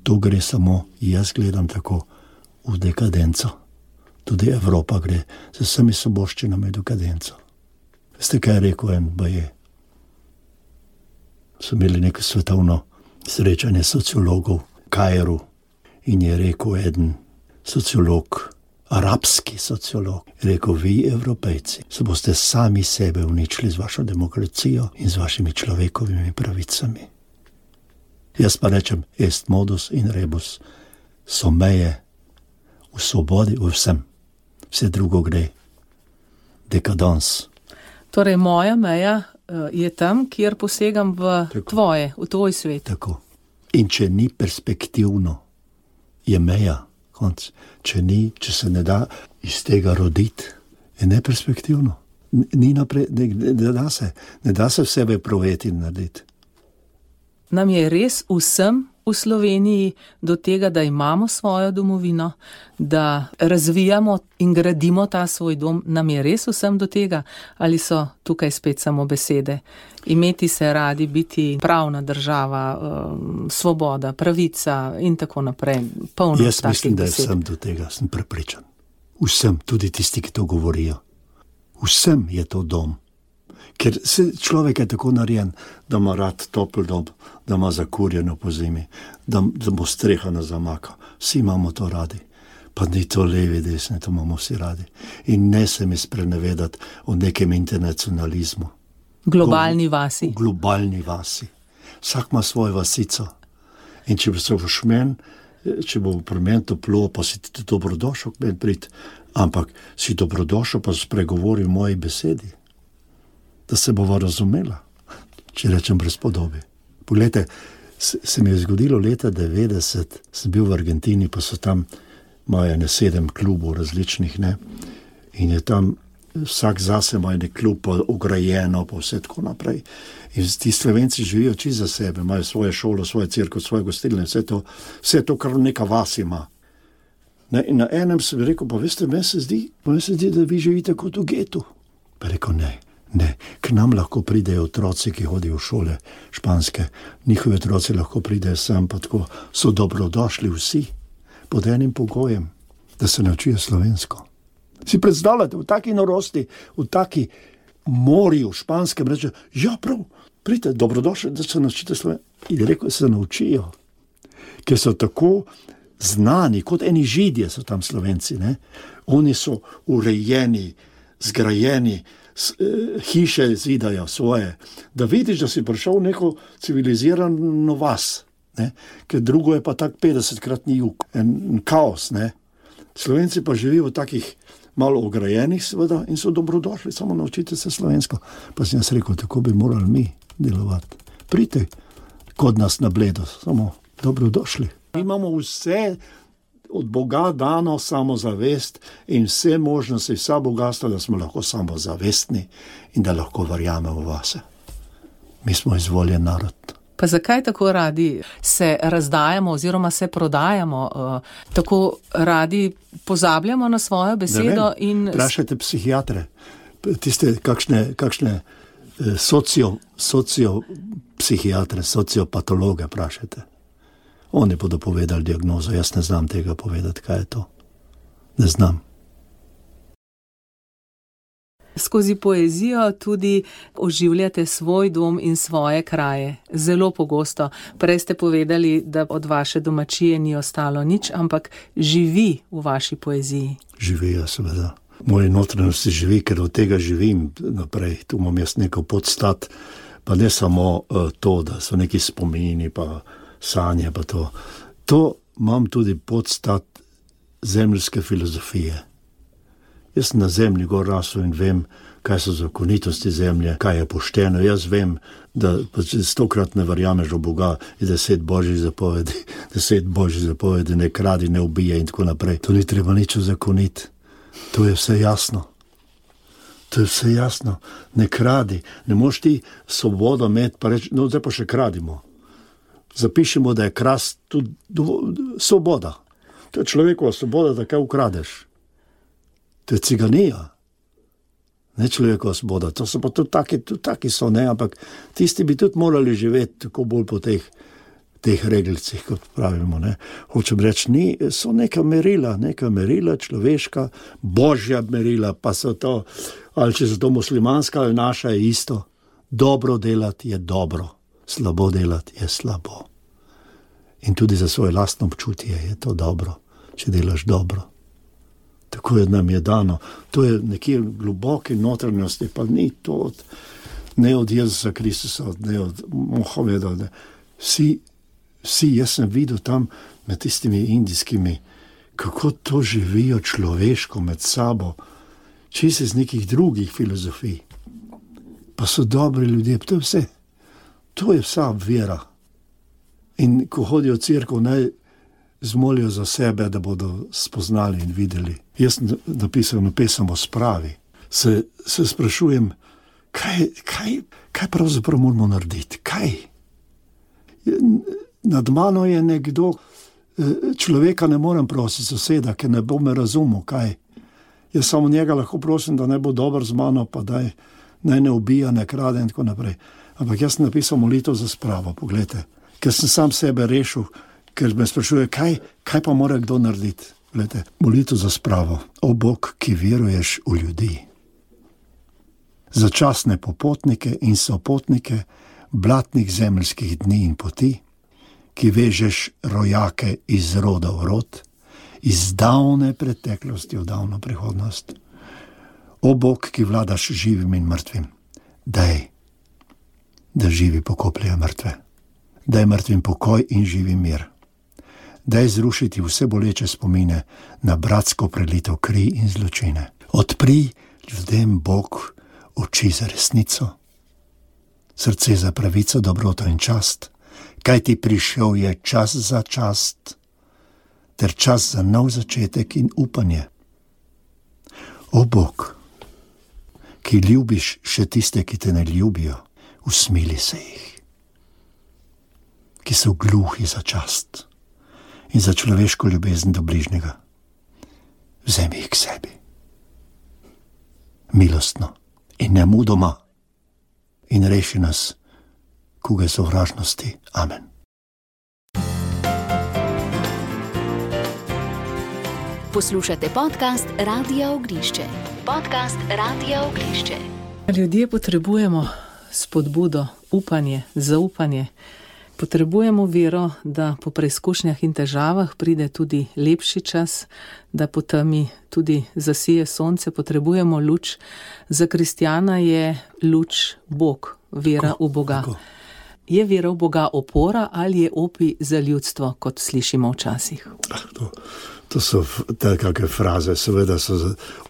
To gre samo, jaz gledam tako, v dekadenco. Tudi Evropa gre z vsemi soboščinami dekadenco. Veste, kaj je rekel en baje? So imeli neko svetovno srečanje sociologov v Kairu in je rekel eden sociolog, arabski sociolog, je rekel, vi Evropejci se boste sami sebe uničili z vašo demokracijo in z vašimi človekovimi pravicami. Jaz pa rečem, est modus in rebus, so meje v svobodi, v vsem. Vse drugo gre dekadans. Torej, moja meja je tam, kjer posegam v tako, tvoje, v tvoj svet. Tako. In če ni perspektivno, je meja konc. Če ni, če se ne da iz tega roditi, je neperspektivno. Ni naprej, ne, ne da se, ne da se v sebe proveti in narediti. Nam je res vsem v Sloveniji do tega, da imamo svojo domovino, da razvijamo in gradimo ta svoj dom, nam je res vsem do tega, ali so tukaj spet samo besede? Imeti se radi, biti pravna država, um, svoboda, pravica in tako naprej. Polno Jaz mislim, da je besed. vsem do tega, sem prepričan. Vsem, tudi tisti, ki to govorijo. Vsem je to dom. Ker se človek je tako narejen, da ima rad topel dom, da ima zakurjeno po zimi, da, da bo streha na zamaka. Vsi imamo to radi. Pa ni to levi, desni, to imamo vsi radi. In ne se mi sprenevedati o nekem internacionalizmu. Globalni vasi. V globalni vasi. Vsak ima svojo vasico. In če se boš men, če bo pri meni toplo, pa si ti dobrodošel k meni priti, ampak si dobrodošel, pa spregovori v moji besedi. Da se bova razumela, če rečem brez podobe. Poglejte, se, se mi je zgodilo leta devetdeset, sem bil v Argentini, pa so tam imajo ne sedem klubov različnih, ne, in je tam vsak zase ima nek klub, pa ograjeno, pa vse tako naprej. In ti Slovenci živijo čisto za sebe, imajo svoje šolo, svoje cirko, svoje gostilne, vse to, vse to, kar neka vas ima. Ne, in na enem sem rekel, pa veste, meni se zdi, meni se zdi, da vi živite kot v getu. Pa rekel, ne. Ne, k nam lahko pridejo otroci, ki hodijo v šole španske. Njihovi otroci lahko pridejo sem, pa tako so dobrodošli vsi, pod enim pogojem, da se naučijo slovensko. Si predstavljate, v taki norosti, v taki morju španskem reče, ja prav, pridite, dobrodošli, da se naučite slovensko. In rekel, se naučijo, ker so tako znani, kot eni Židje so tam Slovenci, ne? Oni so urejeni, zgrajeni, hiše zidajo svoje, da vidiš, da si prišel v neko civilizirano vas, ne? Ker drugo je pa tak petdesetkratni jug, en kaos, ne? Slovenci pa živijo v takih malo ograjenih seveda in so dobrodošli, samo naučite se slovensko. Pa sem jaz rekel, tako bi morali mi delovati. Pridite kod nas na Bledo, samo dobrodošli. Imamo vse od Boga dano samozavest in vse možnosti, vsa bogatstva, da smo lahko samozavestni in da lahko verjamemo vase. Mi smo izvoljen narod. Pa zakaj tako radi se razdajamo oziroma se prodajamo, uh, tako radi pozabljamo na svojo besedo? In vprašajte psihiatre, tiste kakšne, kakšne socio, sociopsihiatre, sociopatologe vprašajte. Oni bodo povedali diagnozo, jaz ne znam tega povedati, kaj je to. Ne znam. Skozi poezijo tudi oživljate svoj dom in svoje kraje. Zelo pogosto. Prej ste povedali, da od vaše domačije ni ostalo nič, ampak živi v vaši poeziji. Živi, ja, seveda. Moje notranjosti živi, ker od tega živim naprej. Tu imam jaz neko podstat, pa ne samo uh, to, da so neki spomini, pa sanje, pa to. To imam tudi podstat zemeljske filozofije. Jaz sem na zemlji gor rasel in vem, kaj so zakonitosti zemlje, kaj je pošteno. Jaz vem, da stokrat ne verjameš v Boga in deset božjih zapovedi, deset božjih zapovedi, ne kradi, ne ubije in tako naprej. To ni treba nič zakoniti. To je vse jasno. To je vse jasno. Ne kradi. Ne moš ti svobodo imeti, pa reči, no zdaj pa še kradimo. Zapišemo, da je krast tudi svoboda. To je človekova svoboda, da kaj ukradeš. To je ciganija. Ne človekova svoboda. To so pa tudi taki, tudi taki so, ne, ampak tisti bi tudi morali živeti tako bolj po teh, teh regelcih, kot pravimo, ne. Hočem reči, ni, so neka merila, neka merila, človeška, božja merila, pa so to, ali če so to muslimanska ali naša, je isto. Dobro delati je dobro, slabo delati je slabo. In tudi za svoje lastno občutje je to dobro, če delaš dobro. Tako je nam je dano. To je nekje globoke notranjosti, pa ni to od, ne od Jezusa Kristusa, ne od Mohameda. Ne. Vsi, vsi, jaz sem videl tam med tistimi indijskimi, kako to živijo človeško med sabo, čisto iz nekih drugih filozofij. Pa so dobri ljudje, to je vse. To je vsa vera. In ko hodijo v cerkev, naj zmolijo za sebe, da bodo spoznali in videli. Jaz sem napisal na pesem o spravi. Se, se sprašujem, kaj, kaj, kaj pravzaprav moramo narediti? Kaj? Nad mano je nekdo, človeka ne morem prositi, soseda, ker ne bo me razumel, kaj. Jaz samo njega lahko prosim, da ne bo dober z mano, pa daj, naj ne ubija, ne krade in tako naprej. Ampak jaz sem napisal molitev za spravo, pogledajte. Ker sem sam sebe rešil, ker me sprašuje, kaj, kaj pa mora kdo narediti. Glede, molitev za spravo. O Bog, ki veruješ v ljudi. Začasne popotnike in sopotnike blatnih zemeljskih dni in poti, ki vežeš rojake iz roda v rod, iz davne preteklosti v davno prihodnost. O Bog, ki vladaš živim in mrtvim, daj, da živi pokopljajo mrtve. Daj mrtvim pokoj in živi mir. Daj zrušiti vse boleče spomine na bratsko prelitev kri in zločine. Odpri ljudem, Bog, oči za resnico, srce za pravico, dobroto in čast, kaj ti prišel je čas za čast, ter čas za nov začetek in upanje. O Bog, ki ljubiš še tiste, ki te ne ljubijo, usmili se jih, ki so gluhi za čast in za človeško ljubezen do bližnjega. Vzemi jih k sebi. Milostno in nemudoma in reši nas kuge sovražnosti. Amen. Poslušate podcast Radia Ognišče. Podcast Radia Ognišče. Ljudje potrebujemo spodbudo, upanje, zaupanje. Potrebujemo vero, da po preizkušnjah in težavah pride tudi lepši čas, da po temi tudi zasije sonce. Potrebujemo luč. Za kristjana je luč Bog, vera tako, v Boga. Tako. Je vera v Boga opora ali je opij za ljudstvo, kot slišimo včasih? To, to so takšne fraze, seveda so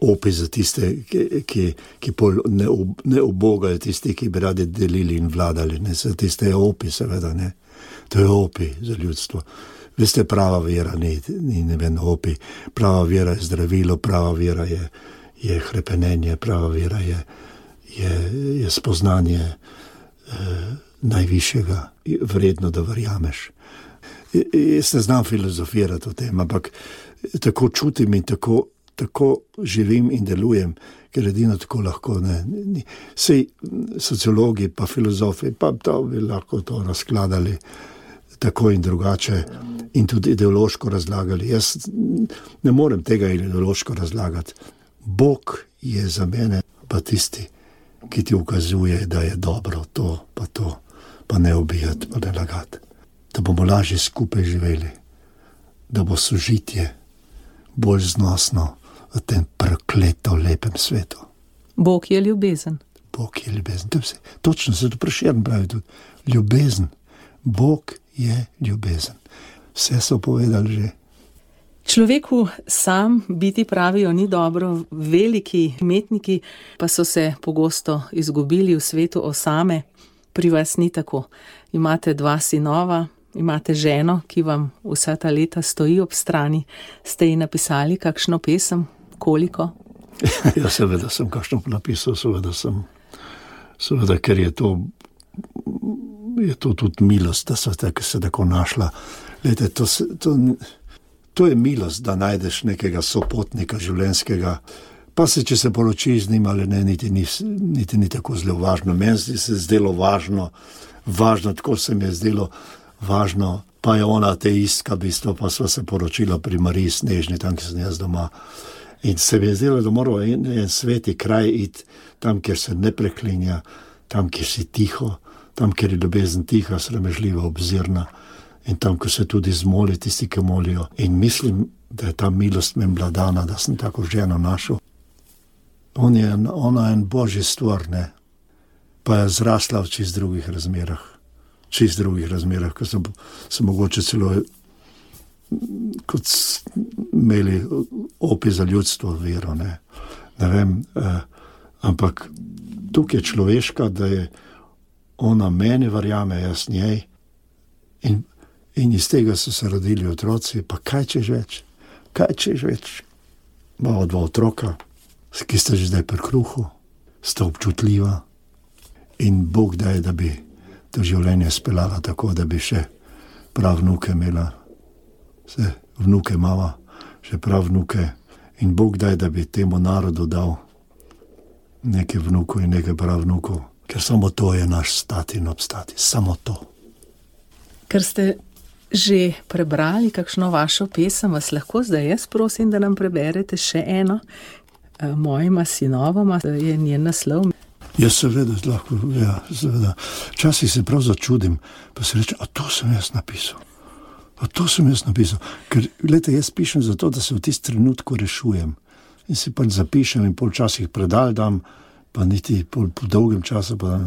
opij za tiste, ki, ki, ki pol ne, ne ubogajo, tisti, ki bi radi delili in vladali. Ne? Za tiste je opij, seveda. Ne? To je opij za ljudstvo. Veste, prava vera ni, ni ne vem, opij. Prava vera je zdravilo, prava vera je, je hrepenenje, prava vera je, je, je spoznanje eh, najvišjega, vredno, da verjameš. Jaz ne znam filozofirati o tem, ampak tako čutim in tako, tako živim in delujem, ker edino tako lahko. Ne, ni. Sej sociologi pa filozofi pa to bi lahko to razkladali tako in drugače in tudi ideološko razlagali. Jaz ne morem tega ideološko razlagati. Bog je za mene pa tisti, ki ti ukazuje, da je dobro to, pa to, pa ne ubijati, pa ne lagati. Da bomo lažje skupaj živeli, da bo sožitje bolj znosno v tem prekleto lepem svetu. Bog je ljubezen. Bog je ljubezen. To je vse. Točno se to Prešeren pravi tudi. Ljubezen. Bog je ljubezen. Vse so povedali že. Človeku sam biti, pravijo, ni dobro. Veliki umetniki pa so se pogosto izgubili v svetu osame. Pri vas ni tako. Imate dva sinova, imate ženo, ki vam vsa ta leta stoji ob strani. Ste ji napisali kakšno pesem? Koliko? Ja, seveda sem kakšno napisal, seveda sem. Seveda, ker je to, je to tudi milost, da so tako, se tako našla. Lejte, to, to, to je milost, da najdeš nekega sopotnika življenjskega, pa se, če se poroči z njim ali ne, niti ni, niti ni tako zelo važno. Meni se je zdelo važno, važno, tako se mi je zdelo važno, pa je ona ateistka, bistvo, pa sva se poročila pri Mariji Snežni, tam, ki sem jaz doma. In se mi je zdelo, da moramo en, en sveti kraj iti, tam, kjer se ne preklinja, tam, kjer si tiho, tam, kjer je ljubezen tiha, sramežljiva, obzirna in tam, ko se tudi zmoli tisti, ki molijo. In mislim, da je ta milost meni bila dana, da sem tako ženo našel. On je, ona je en božji stvar, ne? Pa je zrasla v čist drugih razmerah. Čist drugih razmerah, ko sem, sem mogoče celo kot imeli opij za ljudstvo vero, ne, ne vem, eh, ampak tukaj je človeška, da je ona meni verjame, jaz njej in, in iz tega so se rodili otroci, pa kaj češ več, kaj češ več, imamo dva otroka, ki sta že zdaj pri kruhu, sta občutljiva in Bog daje, da bi to življenje speljala tako, da bi še prav vnuke imela. Se vnuke mava, še prav vnuke in Bog daj, da bi temu narodu dal nekaj vnukov in nekaj prav vnukov, ker samo to je naš stati in obstati, samo to. Ker ste že prebrali kakšno vašo pesem, vas lahko zdaj jaz prosim, da nam preberete še eno. Mojima sinovoma je njen naslov. Ja, seveda, lahko, ja, seveda. Včasih se prav začudim, pa se reče, a to sem jaz napisal. A to sem jaz napisal, ker, gledajte, jaz pišem zato, da se v tisti trenutku rešujem. In si pač zapišem in pol časih predal dam, pa niti pol po dolgem času, pa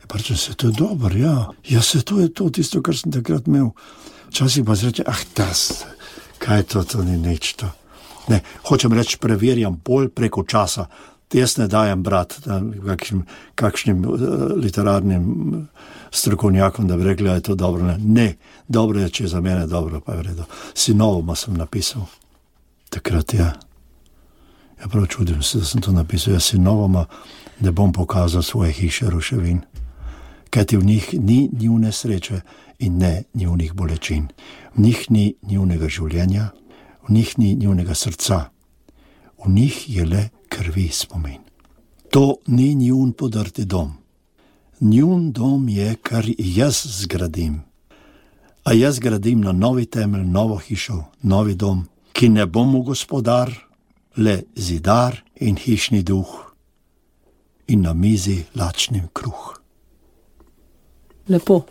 pa rečem se, to je dobro, ja. Ja, se to je to, tisto, kar sem takrat imel. Včasih pa se reče, ah, tas, kaj je to, to ni nič to. Ne, hočem reči, preverjam bolj preko časa. Jaz ne dajem brat kakšnim, kakšnim uh, literarnim strokovnjakom, da bi rekli, da je to dobro. Ne, ne, dobro je, če je za mene dobro, pa je vredo. Sinovoma sem napisal. Takrat je. Ja, prav čudim se, da sem to napisal. Jaz sinovoma ne bom pokazal svoje hiše ruševin. Kajti v njih ni njune sreče in ne njunih bolečin. V njih ni njunega življenja, v njih ni njunega srca. V njih je le krvi spomin. To ni njun podrti dom. Njun dom je, kar jaz zgradim. A jaz gradim na novi temelj, novo hišo, novi dom, ki ne bo mu gospodar, le zidar in hišni duh in na mizi lačnim kruh. Lepo.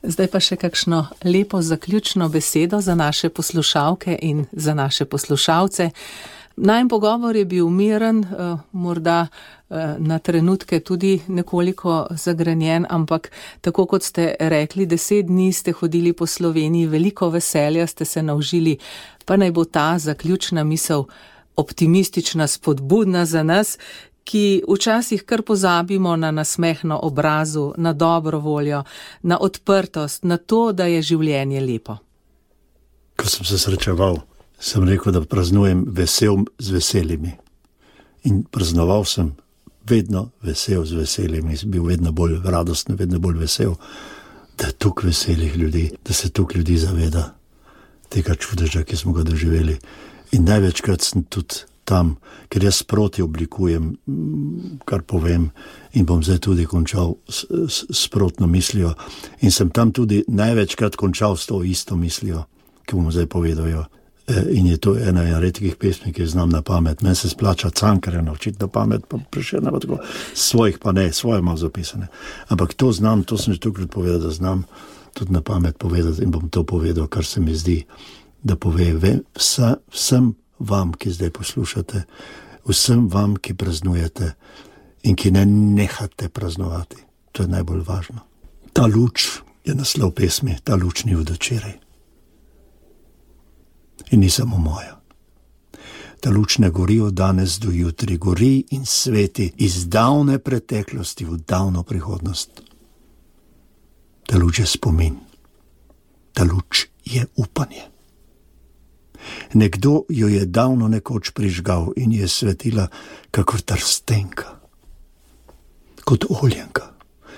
Zdaj pa še kakšno lepo zaključno besedo za naše poslušalke in za naše poslušalce. Najin pogovor je bil miren, morda na trenutke tudi nekoliko zagrenjen, ampak tako kot ste rekli, deset dni ste hodili po Sloveniji, veliko veselja ste se naužili, pa naj bo ta zaključna misel optimistična, spodbudna za nas, ki včasih kar pozabimo na nasmeh na obrazu, na dobro voljo, na odprtost, na to, da je življenje lepo. Ko sem se srečeval, sem rekel, da praznujem vesel z veselimi. In praznoval sem vedno vesel z veselimi, bil vedno bolj radosten, vedno bolj vesel, da je toliko veselih ljudi, da se toliko ljudi zaveda tega čudeža, ki smo ga doživeli. In največkrat sem tudi tam, ker jaz sproti oblikujem, kar povem, in bom zdaj tudi končal s, s, sprotno mislijo. In sem tam tudi največkrat končal s to isto mislijo, ki bom zdaj povedal. In je to ena redkih pesmi, ki znam na pamet. Meni se splača Cankarja naučiti na pamet, pa Prešerna pa tako. Svojih pa ne, svoje imam zapisane. Ampak to znam, to sem že tukaj povedal, da znam tudi na pamet povedati in bom to povedal, kar se mi zdi, da pove vsa, vsem vam, ki zdaj poslušate, vsem vam, ki praznujete in ki ne nehate praznovati. To je najbolj važno. Ta luč je naslov pesmi, ta luč ni od včeraj. In ni samo moja. Ta luč ne gori od danes do jutri, gori in sveti iz davne preteklosti v davno prihodnost. Ta luč je spomin. Ta luč je upanje. Nekdo jo je davno nekoč prižgal in je svetila kakor trstenka, kot oljenka,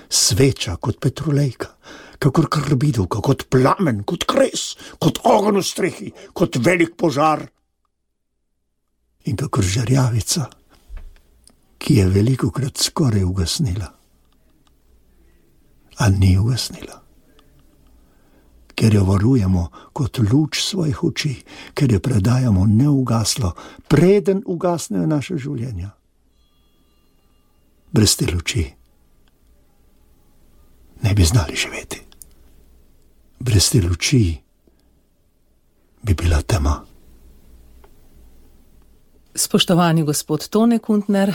sveča kot petrolejka, kakor karbidovka, kot plamen, kot kres, kot ogenj v strehi, kot velik požar in kakor žarjavica, ki je velikokrat skoraj ugasnila, a ni ugasnila. Ker jo varujemo kot luč svojih oči, ker jo predajamo neugaslo, preden ugasnejo naše življenja. Brez te luči ne bi znali živeti. Brez te luči bi bila tema. Spoštovani gospod Tone Kuntner,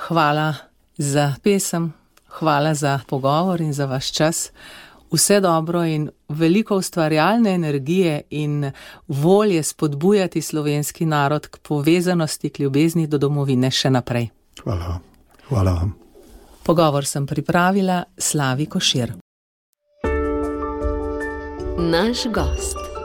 hvala za pesem, hvala za pogovor in za vaš čas. Vse dobro in veliko ustvarjalne energije in volje spodbujati slovenski narod k povezanosti, k ljubezni do domovine še naprej. Hvala vam. Hvala vam. Pogovor sem pripravila Slavi Košir. Naš gost.